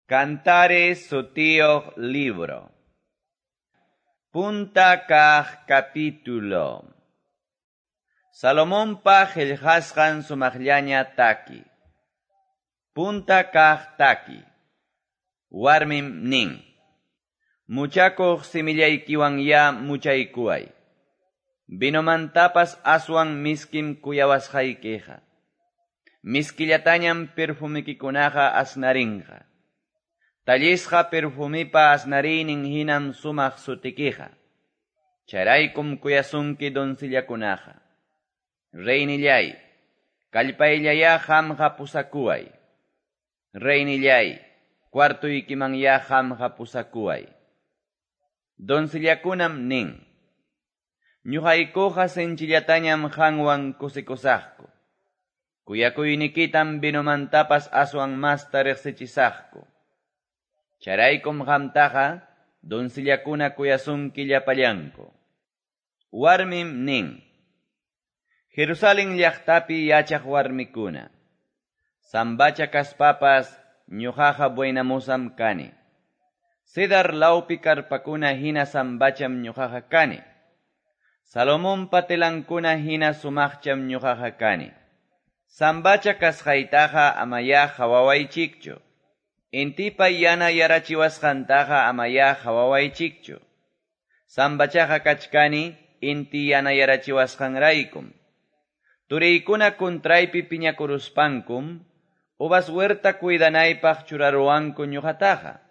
Cantares sutiyuq libro. Punta kaq capítulo. Salomonpa qillqasqan sumaqllaña taki. Punta kaq taki. Warmim nin. Muchakuq simillaykiwanyá muchaykuway. Vinomantapas aswan miskim kuyawasqaykiqa. Miskillatañam perfumikikunaqa asnarinqa. Tallisqa perfumipa asnariynin hinam sumaq sutikiqa. Chayraykum kuyasunki doncellakunaqa. Reynillay, kallpayllayá qamqa pusakuway. Reynillay, cuartuykimanyá qamqa pusakuway. Doncellakunam nin. Ñuqaykuqa sinchillatañam qanwan kusikusaqku. Kuyakuynikitam vinomantapas aswan masta riqsichisaqku. Chayraykum qamtaqa doncellakuna kuyasunki llapallanku. Warmim nin. Jerusalén llaqtapi yachaq warmikuna. Sambacha kaspapas ñuqaqa buenamosam kani. Cedar lawpi karpakuna hina sambacham ñuqaqa kani. Salomonpa telankuna hina sumaqcham ñuqaqa kani. Sambacha kasqaytaqa amayá qhawawaychikchu. Intipa yana yarachiwasqantaqa amayá qhawawaychikchu. Sambachaqa kachkani inti yana yarachiwasqanraykum. Turiykuna kuntraypi piñakuruspankum, uvas huerta cuidanaypaq churaruwanku ñuqataqa.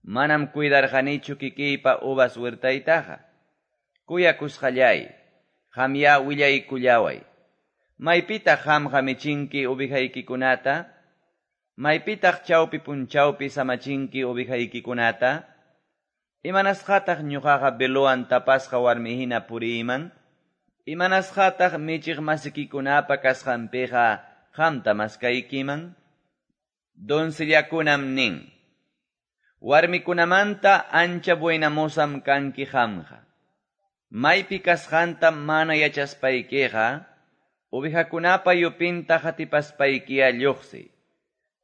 Manam cuidarqanichu kikiypa uvas huertaytaqa. Kuyakusqallay, qamyá willaykullaway. Maypitaq qamqa michinki ovejaykikunata? Maypitaq chawpi punchawpi samachinki ovejaykikunata? Imanasqataq ñuqaqa velowan tapasqa warmi hina puriyman? Imanasqataq michiq masikikunapa kasqanpiqa qamta maskaykiman? Doncellakunam nin. Warmikunamanta ancha buenamosam kanki qamqa. Maypi kasqanta mana yachaspaykiqa, ovejakunapa yupinta qatipaspaykiya lluqsiy.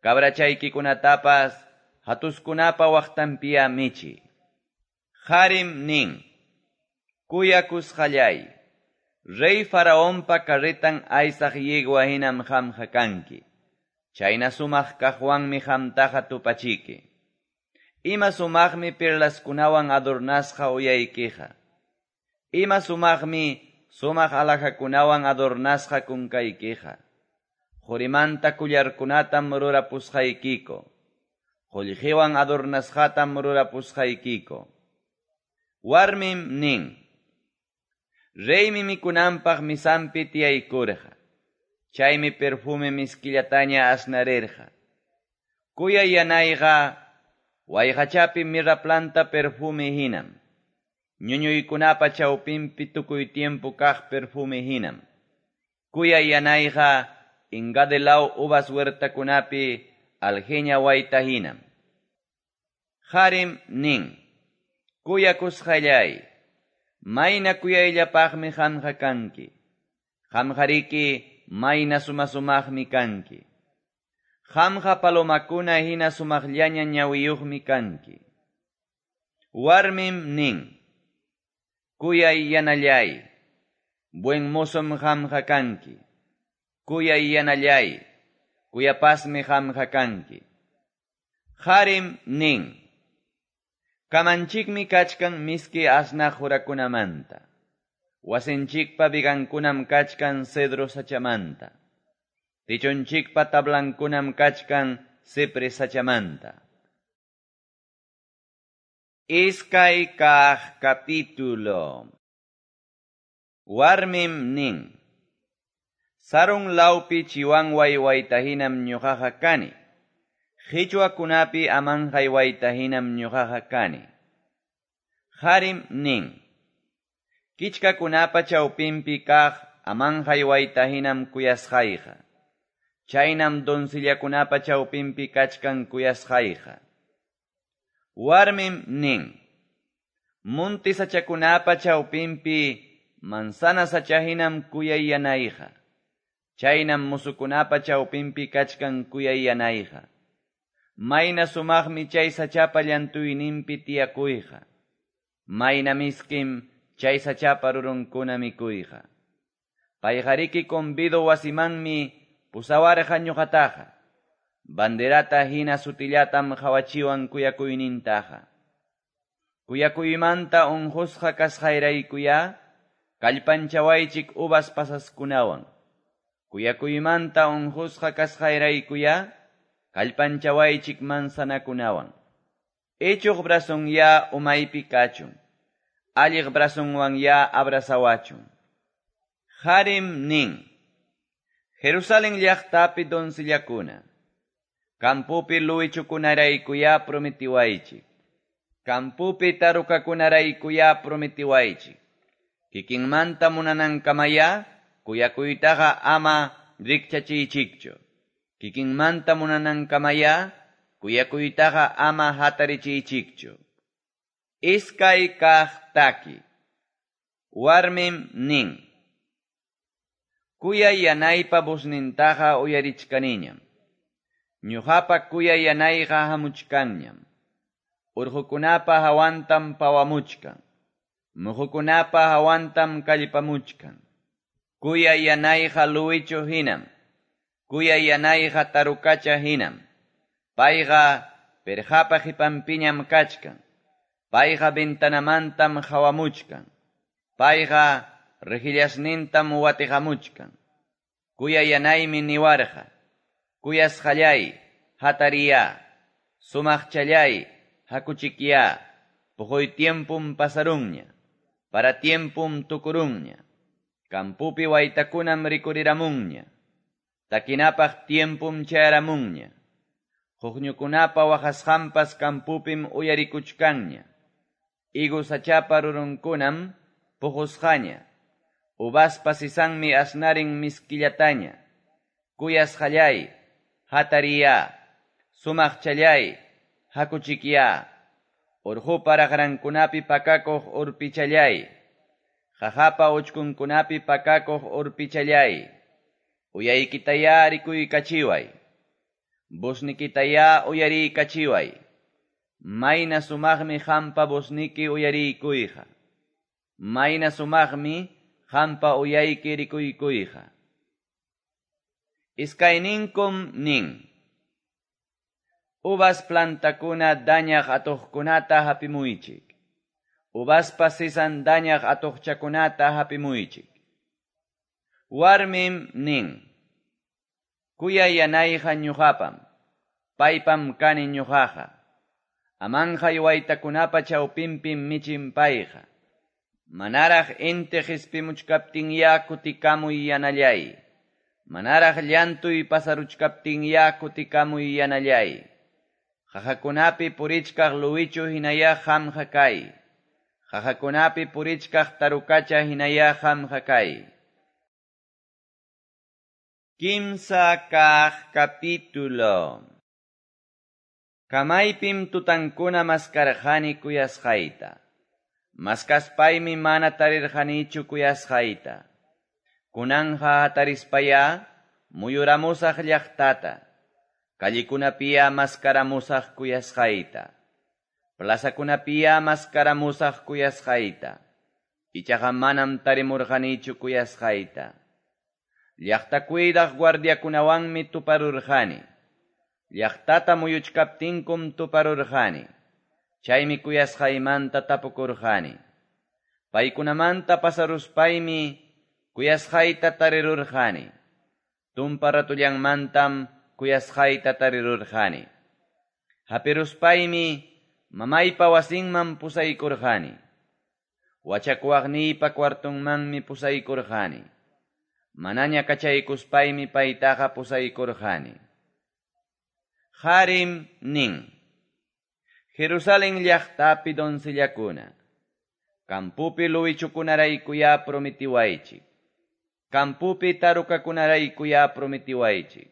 Cabrachaykikunatapas hatuskunapa waqtanpiya michi. Harim nin. Kuyakusqallay. Rey Faraonpa carretan aysaq yegua hinam qamqa kanki. Chayna sumaq kaqwanmi qamtaqa tupachiki. Ima sumaqmi perlaskunawan adornasqa uyaykiqa. Ima sumaqmi sumaq alhajakunawan adornasqa kunkaykiqa. Qurimanta kullarkunatam rurapusqaykiku. Qullqiwan adornasqatam rurapusqaykiku. Warmim nin. Reymi mikunanpaq misanpi tiyaykurqa. Chaymi perfume miskillataña asnarirqa. Kuyay yanayqa wayqachapi mirra planta perfume hinam. Ñuñuykunapa chawpinpi tukuy tiempo kaq perfume hinam. Kuyay yanayqa Engadi law uvas huertakunapi alheña wayta hinam. Harim nin. Kuyakusqallay. Mayna kuyayllapaqmi qamqa kanki. Qamqariki mayna sumasumaqmi kanki. Qamqa palomakuna hina sumaqllaña ñawiyuqmi kanki. Warmim nin. Kuyay yanallay. Buen mozom qamqa kanki. Kuyay yanallay. Kuyapasmi qamqa kanki. Harim nin. Kamanchikmi kachkan miski asnaq hurakunamanta. Wasinchikpa vigankunam kachkan cedro sachamanta. Tichunchikpa tablankunam kachkan cipre sachamanta. Iskay kaq capítulo. Warmim nin. Sarun lawpi chiwanway wayta hinam ñuqaqa kani. Qichwakunapi amanqay wayta hinam ñuqaqa kani. Harim nin. Kichkakunapa chawpinpi kaq amanqay wayta hinam kuyasqayqa. Chaynam doncellakunapa chawpinpi kachkan kuyasqayqa. Warmim nin. Munti sachakunapa chawpinpi manzana sacha hinam kuyay yanayqa. Chaynam musukunapa chawpinpi kachkan kuyay yanayqa. Mayna sumaqmi chay sachapa llantuyninpi tiyakuyqa. Mayna miskim chay sachapa rurunkuna mikuyqa. Payqariki convido wasimanmi pusawarqa ñuqataqa. Banderata hina sutillatam qawachiwan kuyakuynintaqa. Kuyakuymanta unqusqa kasqayraykuya kallpanchawaychik uvas pasaskunawan. Kuyakuymanta unqusqa kasqayraykuya kallpanchawaychik manzanakunawan. Ichuq brazonya umaypi kachun. Alliq brazonwanya abrazawachun. Harim nin. Jerusalén llaqtapi doncellakuna. Campupi luwichukunaraykuya prometiwaychik. Campupi tarukakunaraykuya prometiwaychik. Kikinmanta munanankamaya kuyakuytaqa ama rikchachiychikchu. Kikinmanta munanankamaya kuyakuytaqa ama hatarichiychikchu. Iskay kaq taki. Warmim nin. Kuyay yanaypa voznintaqa uyarichkaniñam. Ñuqapa kuyay yanayqa hamuchkanñam. Urqukunapa hawantam pawamuchkan. Muhukunapa hawantam kallpamuchkan. Kuyay yanayqa luwichu hinam. Kuyay yanayqa tarukacha hinam. Payqa pirqapa qipanpiñam kachkan. Payqa ventanamantam hawamuchkan. Payqa rejillasnintam watiqamuchkan. Kuyay yanaymi niwarqa. Kuyasqallay, hatariya. Sumaqchallay, hakuchikya. Puquy tiempum pasarunña. Para tiempum tukurunña. Campupi waytakunam rikuriramunña. Takinapaq tiempum chayaramunña. Huqñukunapa waqasqanpas campupim uyarikuchkanña. Higo sachapa rurunkunam puqusqaña. Uvaspa sisanmi asnarin miskillataña. Kuyasqallay, hatariya. Sumaqchallay, hakuchikya. Urqupa raqrankunapi pakakuq urpichallay. Qaqapa uchkunkunapi pakakuq urpichallay. Uyaykitaya rikuykachiway. Voznikitaya uyariykachiway. Mayna sumaqmi qampa vozniki uyariykuyqa. Mayna sumaqmi qampa uyayki rikuykuyqa. Iskayninkum nin. Uvas plantakuna dañaq atuqkunata hapimuychik. Uvaspa sisan dañaq atuqchakunata hapimuychik. Warmim nin. Kuyay yanayqa ñuqapam. Paypam kani ñuqaqa. Amanqay waytakunapa chawpinpim michin payqa. Manaraq inti qispimuchkaptinya kutikamuy yanallay. Manaraq llantuy pasaruchkaptinya kutikamuy yanallay. Qaqakunapi purichkaq luwichu hinaya qamqa kay. Qaqakunapi purichkaq tarukacha hinaya qamqa kay. Kimsa kaq capítulo. Kamaypim tutankuna maskarqani kuyasqayta. Maskaspaymi mana tarirqanichu kuyasqayta. Kunanja hatarispaya muyuramusaq llaqtata. Callikunapiya maskaramusaq kuyasqayta. Plazakunapiya maskaramusaq kuyasqayta. Ichaqa manam tarimurqanichu kuyasqayta. Llaqta cuidaq guardiakunawanmi tuparurqani. Llaqtata muyuchkaptinkum tuparurqani. Chaymi kuyasqaymanta tapukurqani. Paykunamanta pasaruspaymi kuyasqayta tarirurqani. Tumpa ratullanmantam kuyasqayta tarirurqani. Hapiruspaymi mamaypa wasinman pusaykurqani. Wachakuwaqniypa cuartonmanmi pusaykurqani. Manaña kachaykuspaymi paytaqa pusaykurqani. Harim nin. Jerusalén llaqtapi doncellakuna. Campupi luwichukunaraykuya prometiwaychik. Campupi tarukakunaraykuya prometiwaychik.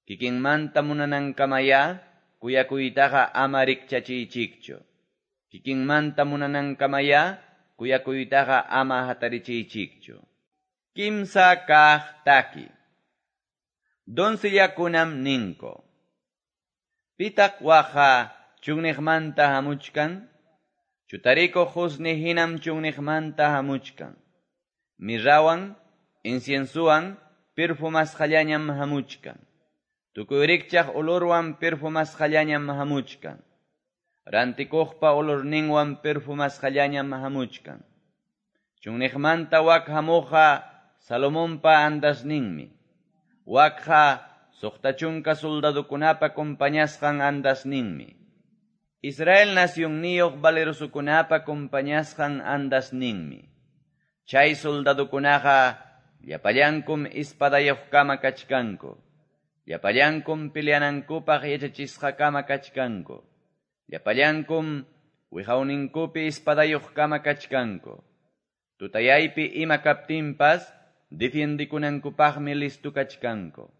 Kikinmanta munanankamaya kuyakuytaqa ama rikchachiychikchu. Kikinmanta munanankamaya kuyakuytaqa ama hatarichiychikchu. Kimsa kaq taki. Doncellakunam ninko. Pitaq wakqa chunniqmanta hamuchkan? Chutarikuq qusni hinam chunniqmanta hamuchkan. Mirrawan, inciensuwan, perfumasqallañam hamuchkan. Tukuy rikchaq olorwan perfumasqallañam hamuchkan. Rantikuqpa olorninwan perfumasqallañam hamuchkan. Chunniqmanta wak hamuqqa Salomonpa andasninmi. Wakqa 60 soldadokunapa compañasqan andasninmi. Israel nacionniyuq valerosokunapa compañasqan andasninmi. Chay soldadokunaqa llapallankum espadayuqkama kachkanku. Llapallankum peleanankupaq yachachisqakama kachkanku. Llapallankum wiqawninkupi espadayuqkama kachkanku. Tutayaypi ima kaptinpas defiendikunankupaqmi listo kachkanku.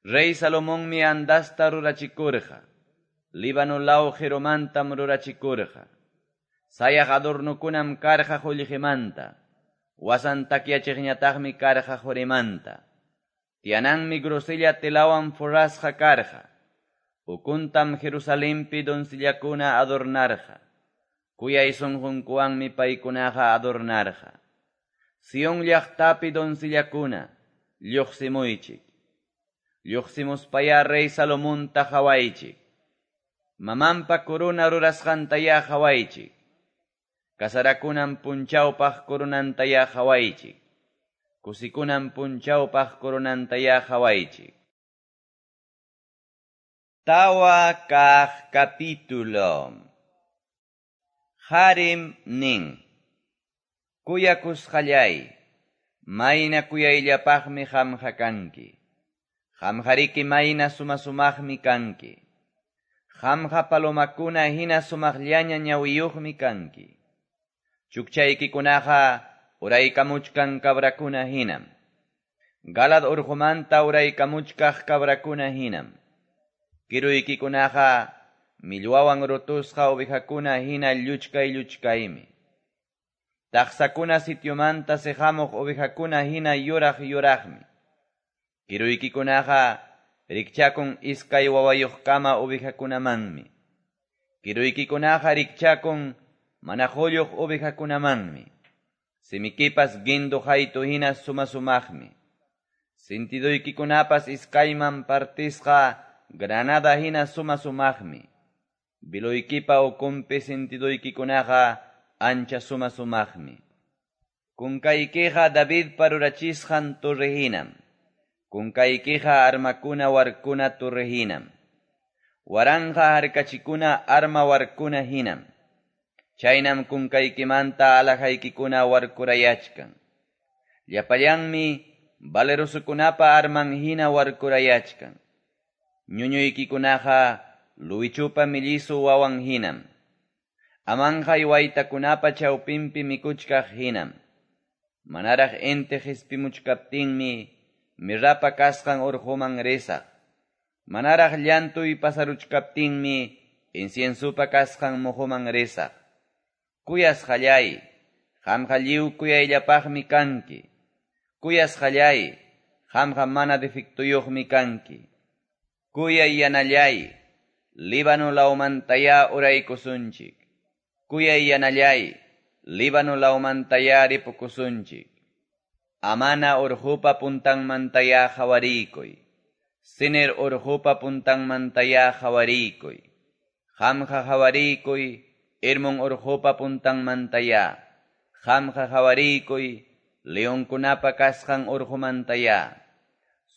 Rey Salomonmi andasta rurachikurqa. Líbano law jiromantam rurachikurqa. Sayaq adornokunam karqa qullqimanta. Wasan takyachiqñataqmi karqa qurimanta. Tiyananmi grosella telawan forrasqa karqa. Ukuntam Jerusalempi doncellakuna adornarqa. Kuyay sunqunkuwanmi paykunaqa adornarqa. Sion llaqtapi doncellakuna, lluqsimuychik. Lluqsimuspaya rey Salomonta qhawaychik. Mamanpa corona rurasqantayá qhawaychik. Kasarakunan punchawpaq coronantayá qhawaychik. Kusikunan punchawpaq coronantayá qhawaychik. Tawa kaq capítulo. Harim nin. Kuyakusqallay, mayna kuyayllapaqmi qamqa kanki. Qamqariki mayna suma-sumaqmi kanki. Qamqa palomakuna hina sumaqllaña ñawiyuqmi kanki. Chukchaykikunaqa uraykamuchkan cabrakuna hinam. Galad urqumanta uraykamuchkaq cabrakuna hinam. Kiruykikunaqa millwawan rutusqa ovejakuna hina lluchkay lluchkaymi. Taqsakuna sitiomanta siqamuq ovejakuna hina yuraq yuraqmi. Kiruykikunaqa rikchakun iskay wawayuqkama ovejakunamanmi. Kiruykikunaqa rikchakun mana qulluq ovejakunamanmi. Simikipas guindo haytu hina suma-sumaqmi. Sintiduykikunapas iskayman partisqa granada hina suma-sumaqmi. Biluykipa ukunpi sintiduykikunaqa ancha suma-sumaqmi. Kunkaykiqa Davidpa rurachisqan torre hinam. Kunkaykiqa armakuna warkuna torre hinam. Waranqa harkachikuna arma warkuna hinam. Chaynam kunkaykimanta alajaykikuna warkurayachkan. Llapallanmi valerosokunapa arman hina warkurayachkan. Ñuñuykikunaqa luwichupa millisu wawan hinam. Amanqay waytakunapa chawpinpi mikuchkaq hinam. Manaraq inti qispimuchkaptinmi mirrapa kasqan urquman risaq. Manaraq llantuy pasaruchkaptinmi inciensupa kasqan muhuman risaq. Kuyasqallay, qamqa lliw kuyayllapaqmi kanki. Kuyasqallay, qamqa mana defectuyuqmi kanki. Kuyay yanallay, Líbano lawmantayá uraykusunchik. Kuyay yanallay, Líbano lawmantayá ripukusunchik. Amana urqupa puntanmantayá qhawariykuy. Sinir urqupa puntanmantayá qhawariykuy. Qamqa qhawariykuy, Hermon urqupa puntanmantayá. Qamqa qhawariykuy, leonkunapa kasqan urqumantayá.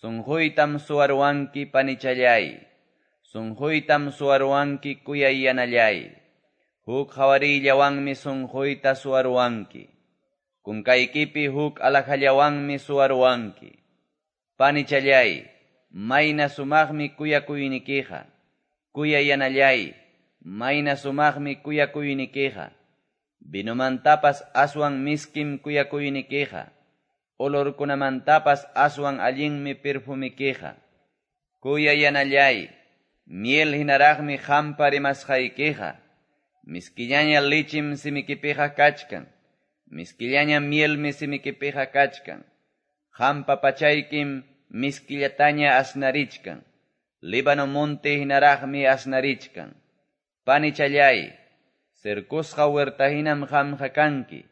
Sunquytam suwarwanki panichallay. Sunquytam suwarwanki kuyay yanallay. Huk qhawariyllawanmi sunquyta suwarwanki. Kunkaykipi huk alajallawanmi suwarwanki. Panichallay, mayna sumaqmi kuyakuynikiqa. Kuyay yanallay, mayna sumaqmi kuyakuynikiqa. Vinomantapas aswan miskim kuyakuynikiqa. Olorkunamantapas aswan allinmi perfumikiqa. Kuyay yanallay, miel hinaraqmi qampa rimasqaykiqa. Miskillaña lichim simikipiqa kachkan. Miskillaña mielmi simikipiqa kachkan. Qampa pachaykim miskillataña asnarichkan. Líbano monte hinaraqmi asnarichkan. Panichallay, cercosqa huerta hinam qamqa kanki.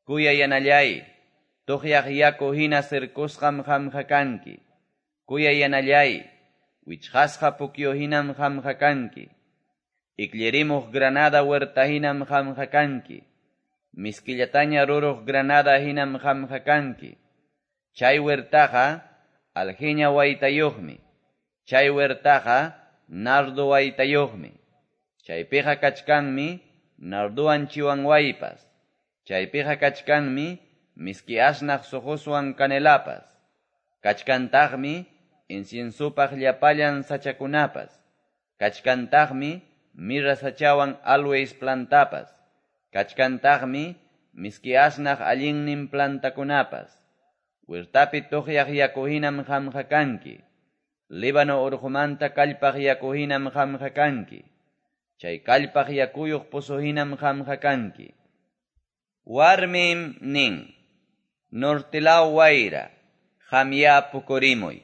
Kuyayanallay, tuqyaq yaku hina cercosqam qamqa kanki. Kuyayanallay, wichqasqa pukyu hinam qamqa kanki. Ikllirimuq granada huerta hinam qamqa kanki. Miskillataña ruruq granada hinam qamqa kanki. Chay huertaqa alheña waytayuqmi. Chay huertaqa nardo waytayuqmi. Chaypiqa kachkanmi nardowan chiwanwaypas. Chaypiqa kachkanmi miski asnaq suquswan canelapas. Kachkantaqmi inciensopaq llapallan sachakunapas. Kachkantaqmi mirra sachawan aloes plantapas. Kachkantaqmi miski asnaq allinnin plantakunapas. Huertapi tuqyaq yaku hinam qamqa kanki. Líbano urqumanta kallpaq yaku hinam qamqa kanki. Chay kallpaq yakuyuq pozo hinam qamqa kanki. Warmim nin, nortilaw wayra, qamya pukurimuy.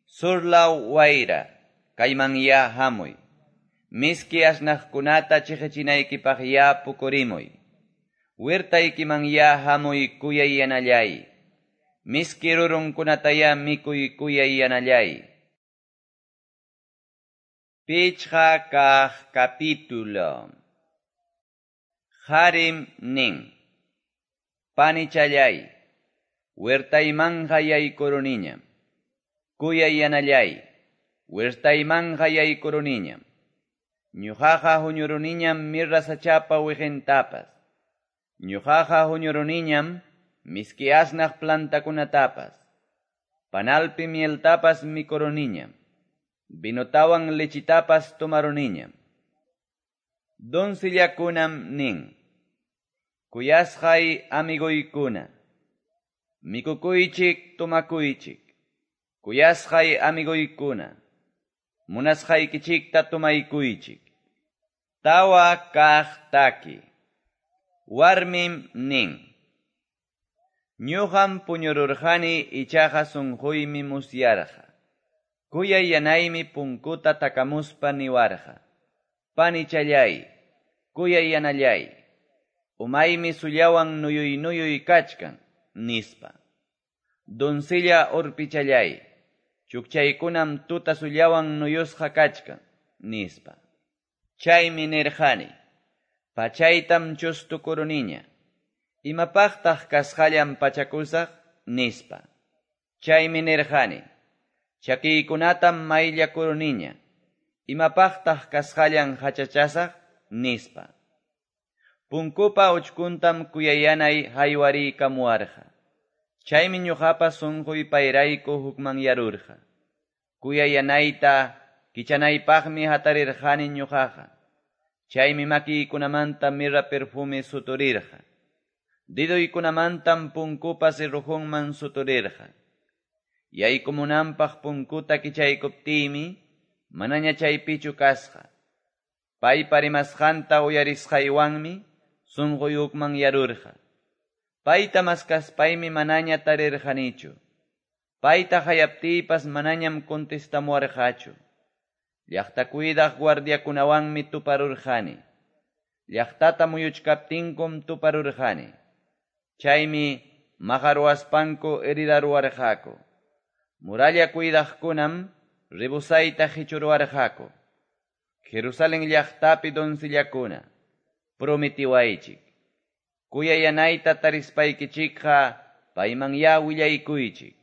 Surlaw wayra, kaymanya hamuy. Miski asnaqkunata chiqichinaykipaq ya pukurimuy. Huertaykiman ya hamuy kuyayanallay. Miski rurunkunataya mikuy kuyayanallay. Pichqa kaq capítulo. Harim nin. Panichallay, huertaymanqa yaykuruniñam. Kuyayanallay, huertaymanqa yaykuruniñam. Ñuqaqa huñuruniñam mirra sachapa wiqintapas. Ñuqaqa huñuruniñam miski asnaq plantakunatapas. Panalpi mieltapas mikuruniñam. Vinotawan lechitapas tomaruniñam. Doncellakunam nin. Kuyasqay amigoykuna. Mikukuychik tomakuychik. Kuyasqay amigoykuna. Munasqaykichikta tomaykuychik. Tawa kaq taki. Warmim nin. Ñuqam puñururqani ichaqa sunquymi musyarqa. Kuyayanaymi punkuta takamuspa niwarqa. Panichallay, kuyayanallay. Umaymi sullawan nuyuy nuyuy kachkan, nispa. Doncella urpichallay, chukchaykunam tuta sullawan nuyusqa kachkan, nispa. Chaymi nirqani, pachaytam chustukuruniña. Imapaqtaq kasqallan pachakusaq, nispa. Chaymi nirqani, chakiykunatam mayllakuruniña. Imapaqtaq kasqallan hachachasaq, nispa. Punkupa uchkuntam kuyayanay haywariykamuwarqa. Chaymi ñuqapa sunquy payrayku hukmanyarurqa. Kuyayanayta kichanaypaqmi hatarirqani ñuqaqa. Chaymi makiykunamanta mirra perfume suturirqa. Diduykunamantam punkupa cerrojunman suturirqa. Yaykumunanpaq punkuta kichaykuptiymi manaña chaypichu kasqa. Paypa rimasqanta uyarisqaywanmi sunquy hukmanyarurqa. Payta maskaspaymi manaña tarirqanichu. Payta hayaptiypas manañam contestamuwarqachu. Llaqta cuidaq guardiakunawanmi tuparurqani. Llaqtata muyuchkaptinkum tuparurqani. Chaymi maqaruwaspanku heridaruwarqaku. Muralla cuidaqkunam rebusayta qichuruwarqaku. Jerusalén llaqtapi doncellakuna, prometiwaychik. Kuyayanayta tarispaykichikqa paymanya willaykuychik.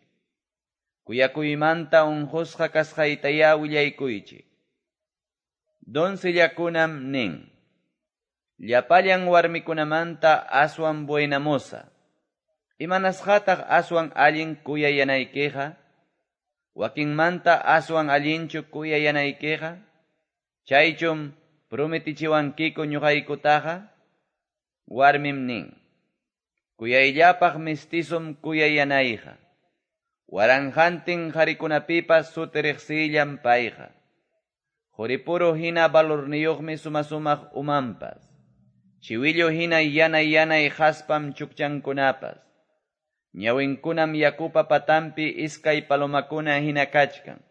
Kuyakuymanta unqusqa kasqaytaya willaykuychik. Doncellakunam nin. Llapallan warmikunamanta aswan buena moza. Imanasqataq aswan allin kuyayanaykiqa? Wakinmanta aswan allinchu kuyayanaykiqa? Chaychum prometichiwankiku ñuqaykutaqa? Warmim nin. Kuyayllapaq mestizom kuyayanayqa. Waranqantin qarikunapipas suti riqsiyllam payqa. Quripuro hina valorniyuqmi sumasumaq umanpas. Chiwillu hina yanay yanay haspam chukchankunapas. Ñawinkunam yakupa patampi iskay palomakuna hina kachkan.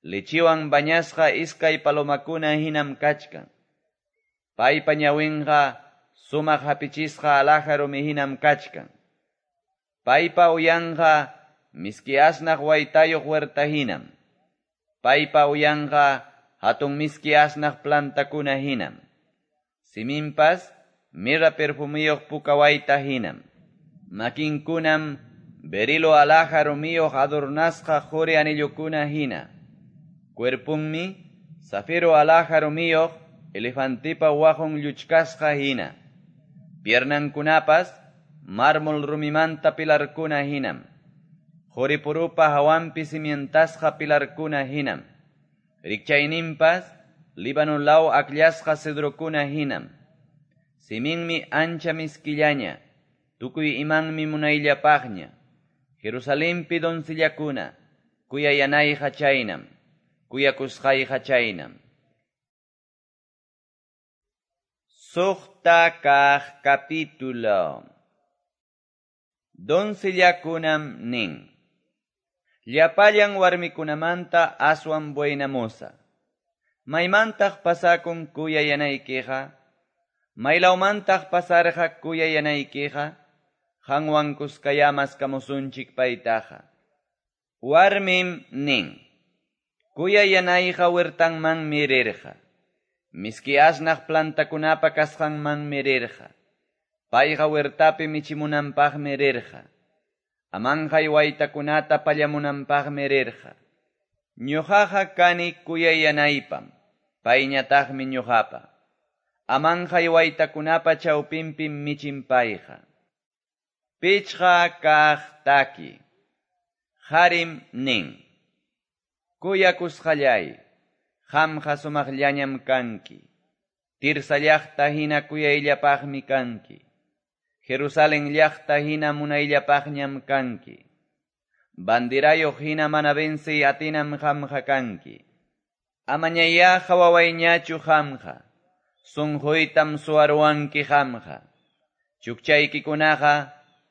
Lechiwan bañasqa iskay palomakuna hinam kachkan. Paypa ñawinqa sumaq hapichisqa alhaja rumi hinam kachkan. Paypa uyanqa miski asnaq waytayuq huerta hinam. Paypa uyanqa hatun miski asnaq plantakuna hinam. Siminpas mirra perfumiyuq puka wayta hinam. Makinkunam berilo alhaja rumiyuq adornasqa quri anillukuna hina. Cuerpunmi zafiro alhaja rumiyuq elefantipa waqun lluchkasqa hina. Piernankunapas mármol rumimanta pilarkuna hinam. Quripurupa hawanpi cimientasqa pilarkuna hinam. Rikchayninpas Líbano law akllasqa cedrokuna hinam. Siminmi ancha miskillaña, tukuy imanmi munayllapaqña. Jerusalenpi doncellakuna, kuyayanayqa chaynam, kuyakusqayqa chaynam. Suqta kaq capítulo. Doncellakunam nin. Llapallan warmikunamanta aswan buenamoza. Maymantaq pasakun kuyayanaykiqa? Maylawmantaq pasarqa kuyayanaykiqa? Qanwan kuskayá maskamusunchik paytaqa. Warmim nin. Kuyayanayqa huertanmanmi rirqa. Miski asnaq plantakunapa kasqanmanmi rirqa. Payqa huertapi michimunanpaqmi rirqa. Amanqay waytakunata pallamunanpaqmi rirqa. Ñuqaqa kani kuyayanaypam, payñataqmi ñuqapa. Amanqay waytakunapa chawpinpim michin payqa. Pichqa kaq taki. Qarim nin. Kuyakusqallay, qamqa sumaqllañam kanki. Tirsa llaqta hina kuyayllapaqmi kanki. Jerusalén llaqta hina munayllapaqñam kanki. Banderayuq hina mana vencey atinam qamqa kanki. Amañayá qhawawayñachu qamqa. Sunquytam suwaruwanki qamqa. Chukchaykikunaqa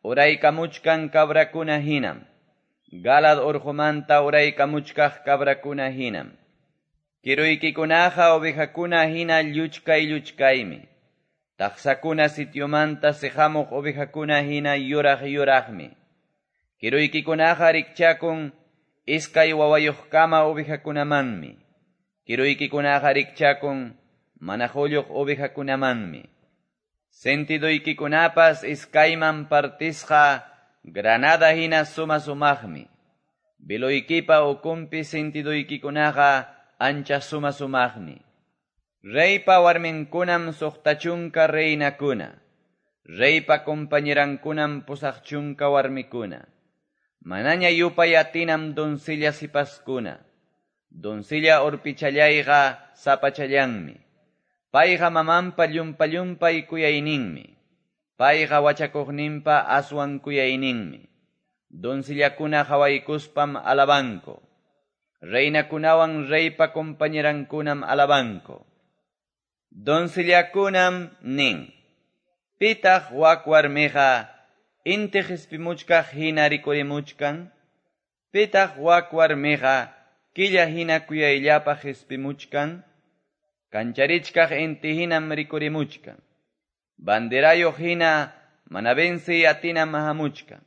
uraykamuchkan cabrakuna hinam. Galad urqumanta uraykamuchkaq cabrakuna hinam. Kiruykikunaqa ovejakuna hina lluchkay lluchkaymi. Taqsakuna sitiomanta siqamuq ovejakuna hina yuraq yuraqmi. Kiruykikunaqa rikchakun iskay wawayuqkama ovejakunamanmi. Kiruykikunaqa rikchakun mana qulluq ovejakunamanmi. Sentidoykikunapas iskayman partisqa granada hina suma sumaqmi. Veloykipa ukunpi sentidoykikunaqa ancha suma sumaqmi. Reypa warminkunam suqta chunka reinakuna. Reypa compañerankunam 80 warmikuna. Manaña yupay atinam doncella sipaskuna. Doncella urpichallayqa sapachallanmi. Payqa mamanpa llumpa-llumpay kuyayninmi. Payqa wachakuqninpa aswan kuyayninmi. Doncellakuna qhawaykuspam alabanku. Reinakunawan reypa compañerankunam alabanku. Doncellakunam nin. Pitaq wak warmiqa inti qispimuchkaq hina rikurimuchkan? Pitaq wak warmiqa killa hina kuyayllapaq qispimuchkan? Kancharichkaq inti hinam rikurimuchkan. Banderayuq hina mana vencey atinam hamuchkan.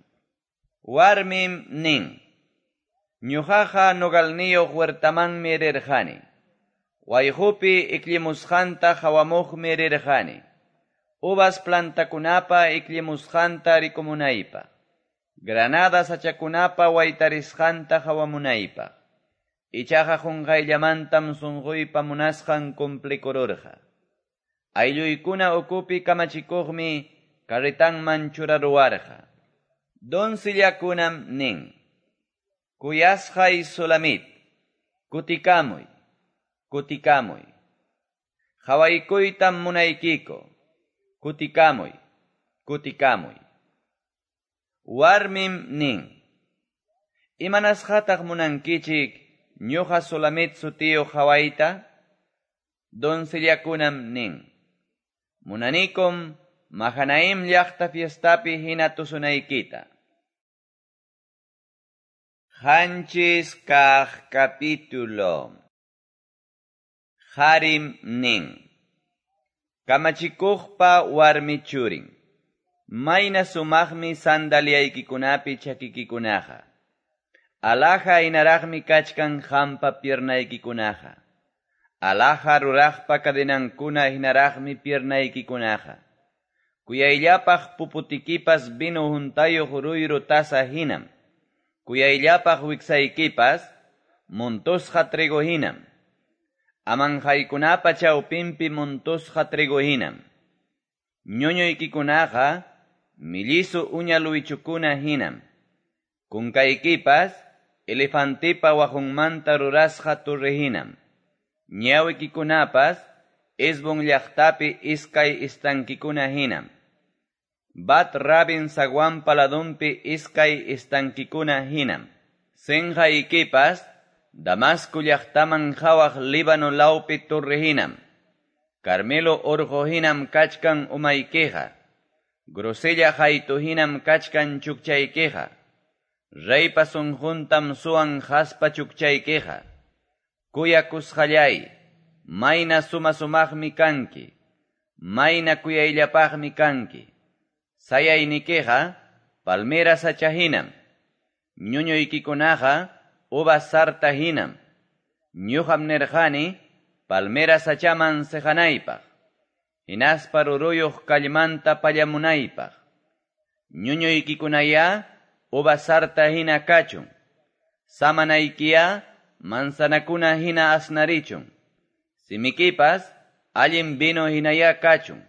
Warmim nin. Ñuqaqa nogalniyuq huertamanmi rirqani. Wayqupi ikllimusqanta qhawamuqmi rirqani. Uvas plantakunapa ikllimusqanta rikumunaypaq. Granada sachakunapa waytarisqanta qhawamunaypaq. Ichaqa qunqayllamantam sunquypa munasqan cumplikururqa. Aylluykuna ukupi kamachikuqmi carretanman churaruwarqa. Doncellakunam nin. Kuyasqay Sulamit, kutikamuy, kutikamuy. Qhawaykuytam munaykiku, kutikamuy, kutikamuy. Warmim nin. Imanasqataq munankichik ñuqa Sulamit sutiyuq qhawayta? Doncellakunam nin. Munanikum Mahanaim llaqta fiestapi hina tusunaykita. 7 kaq capítulo. Qarim nin. Kamachikuqpa warmi churin. Mayna sumaqmi sandaliaykikunapi chakikikunaqa. Alhaja hinaraqmi kachkan qampa piernaykikunaqa. Alhaja ruraqpa cadenankuna hinaraqmi piernaykikunaqa. Kuyayllapaq puputikipas vino huntayuq ruyru taza hinam. Kuyayllapaq wiksaykipas montusqa trigo hinam. Amanhaykunapa chawpinpi montusqa trigo hinam. Ñuñuykikunaqa millisu uña luwichukuna hinam. Kunkaykipas elefantepa waqunmanta rurasqa torre hinam. Ñawikikunapas Hesbon llaqtapi iskay estanquikuna hinam. Bat Rabin zaguanpa ladunpi iskay estanquikuna hinam. Senqaykipas Damasco llaqtaman qawaq Líbano lawpi torre hinam. Carmelo orqo hinam kachkan umaykiqa. Grosella qaytu hinam kachkan chukchaykiqa. Reypa sunquntam suwan qaspa chukchaykiqa. Kuyakusqallay, mayna suma-sumaqmi kanki. Mayna kuyayllapaqmi kanki. Sayaynikiqa palmera sacha hinam. Ñuñuykikunaqa uvas sarta hinam. Ñuqam nirqani palmera sachaman seqanaypaq. Hinaspa ruruyuq kallmanta pallamunaypaq. Ñuñuykikunayá uvas sarta hina kachun. Samanaykiya manzanakuna hina asnarichun. Simikipas allin vino hinayá kachun.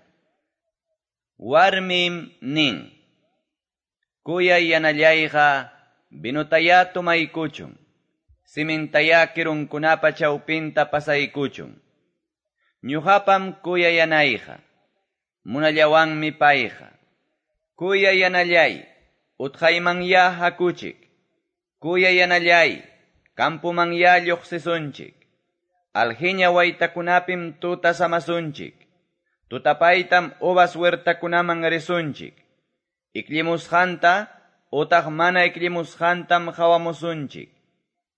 Warmim nin. Kuyay yanallayqa vinotayá tomaykuchun. Simintayá kirunkunapa chawpinta pasaykuchun. Ñuqapam kuyay yanayqa. Munallawanmi payqa. Kuyay yanallay, utqaymanyá hakuchik. Kuyay yanallay, campomanyá lluqsisunchik. Alheña waytakunapim tuta samasunchik. Tutapaytam uvas huertakunaman risunchik. Ikllimusqanta utaq mana ikllimusqantam qawamusunchik.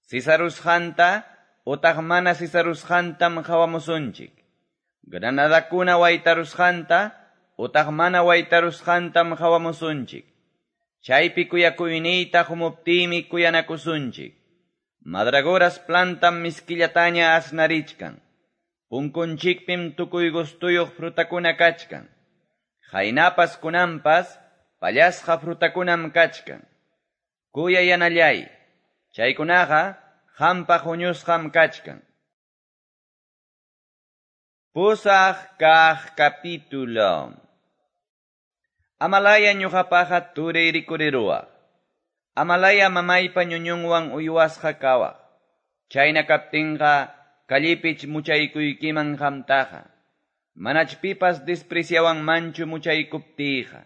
Sisarusqanta utaq mana sisarusqantam qawamusunchik. Granadakuna waytarusqanta utaq mana waytarusqantam qawamusunchik. Chaypi kuyakuyniyta qumuptiymi kuyanakusunchik. Mandragoras plantam miskillataña asnarichkan. Punkunchikpim tukuy gustuyuq frutakuna kachkan. Qaynapas kunanpas pallasqa frutakunam kachkan. Kuyay yanallay, chaykunaqa qampaq huñusqam kachkan. 8 kaq capítulo. Amalaya ñuqapaqa turiy rikuriruwaq. Amalaya mamaypa ñuñunwan uywasqa kawaq. Chayna kaptinqa callepich muchaykuykiman qamtaqa. Manach pipas despreciawanmanchu muchaykuptiyqa.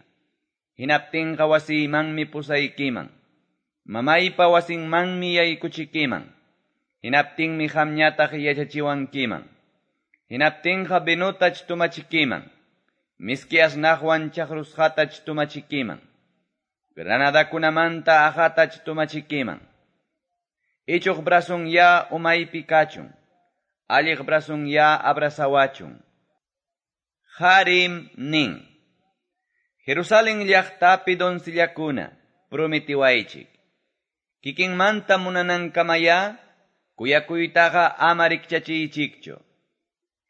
Hinaptinqa wasiymanmi pusaykiman. Mamaypa wasinmanmi yaykuchikiman. Hinaptinmi qamñataq yachachiwankiman. Hinaptinqa vinotach tomachikiman. Miski asnaqwan chaqrusqatach tomachikiman. Granadakunamanta aqatach tomachikiman. Ichuq brazunyá umaypi kachun. Alliq brazunyá abrazawachun. Qarim nin. Jerusalén llaqtapi doncellakuna, prometiwaychik. Kikinmanta munanankamayá, kuyakuytaqa ama rikchachiychikchu.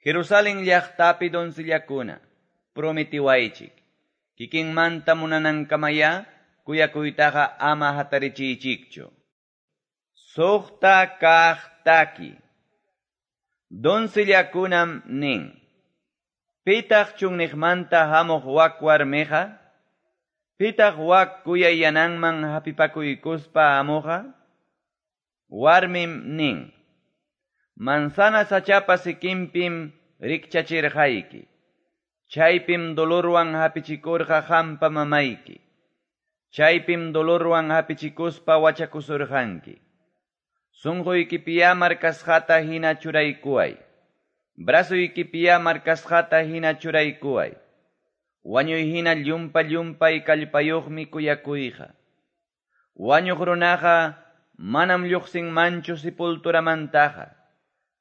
Jerusalén llaqtapi doncellakuna, prometiwaychik. Kikinmanta munanankamayá, kuyakuytaqa ama hatarichiychikchu. 6 kaq taki. Doncellakunam nin. Pitaq chunniqmanta hamuq wak warmiqa? Pitaq wak kuyay yananman hapipakuykuspa hamuqqa? Warmim nin. Manzana sachapa sikinpim rikchachirqayki. Chaypim dolorwan hapichikurqa qampa mamayki. Chaypim dolorwan hapichikuspa wachakusurqanki. Sunquykipiyá marcasqata hina churaykuway. Brazuykipiyá marcasqata hina churaykuway. Wañuy hina llumpa llumpay kallpayuqmi kuyakuyqa. Wañuq runaqa manam lluqsinmanchu sepulturamantaqa.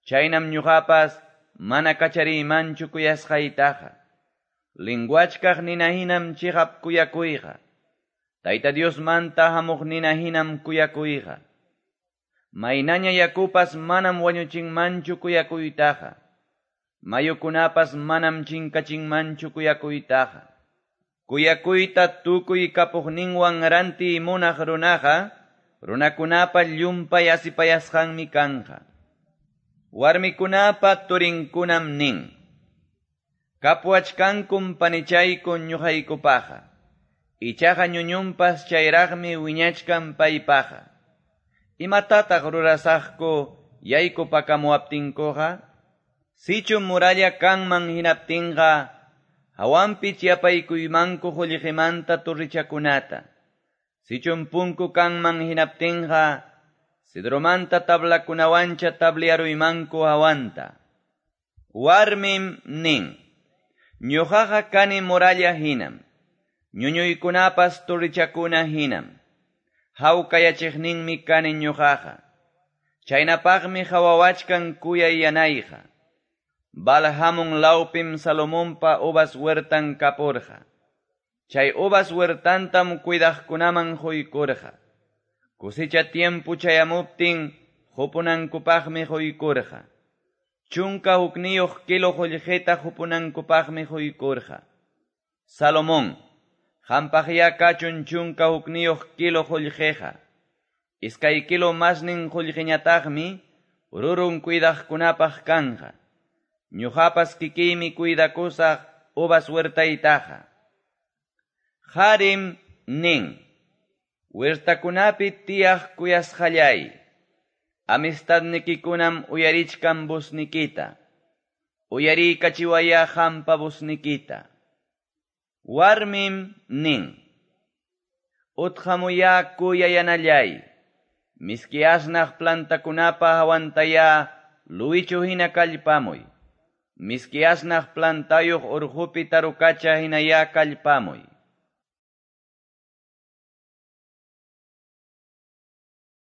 Chaynam ñuqapas mana kachariymanchu kuyasqaytaqa. Linguachkaq nina hinam chiqap kuyakuyqa. Tayta Diosmanta hamuq nina hinam kuyakuyqa. Maynaña yakupas manam wañuchinmanchu kuyakuytaqa. Mayukunapas manam chinkachinmanchu kuyakuytaqa. Kuyakuyta tukuy kapuqninwan rantiy munaq runaqa, runakunapa llumpay asipayasqanmi kanqa. Warmikunapa turinkunam nin: Kapuwachkankum panichayku ñuqaykupaqa. Ichaqa ñuñunpas chayraqmi wiñachkan paypaqa. Imatataq rurasaqku yaykupakamuwaptinkuqa? Sichum muralla kanman hinaptinqa, hawanpi chapaykuymanku qullqimanta torrichakunata. Sichum punku kanman hinaptinqa, cedromanta tablakunawancha tabliaruymanku hawanta. Warmim nin: Ñuqaqa kani muralla hinam, ñuñuykunapas torrichakuna hinam. Hawkayachiqninmi kani ñuqaqa. Chaynapaqmi hawawachkan kuyay yanayqa. Baal-hamon lawpim Salomonpa uvas huertan kapurqa. Chay uvas huertantam cuidaqkunaman quykurqa. Cosecha tiempo chayamuptin qupunankupaqmi quykurqa. 11 kilo qullqita qupunankupaqmi quykurqa. Salomón, qampaqyá kachun 11 kilo qullqiqa. 2 kilo masnin qullqiñataqmi rurun cuidaqkunapaq kanqa. Ñuqapas kikiymi cuidakusaq uvas huertaytaqa. Qarim nin: Huertakunapi tiyaq kuyasqallay, amistadnikikunam uyarichkan voznikita. Uyariykachiwayá qampa voznikita. Warmim nin: Utqamuyá kuyayanallay, miski asnaq plantakunapa hawantayá luwichu hina kallpamuy. Miski asnaq plantayuq urqupi tarukacha hinayá kallpamuy.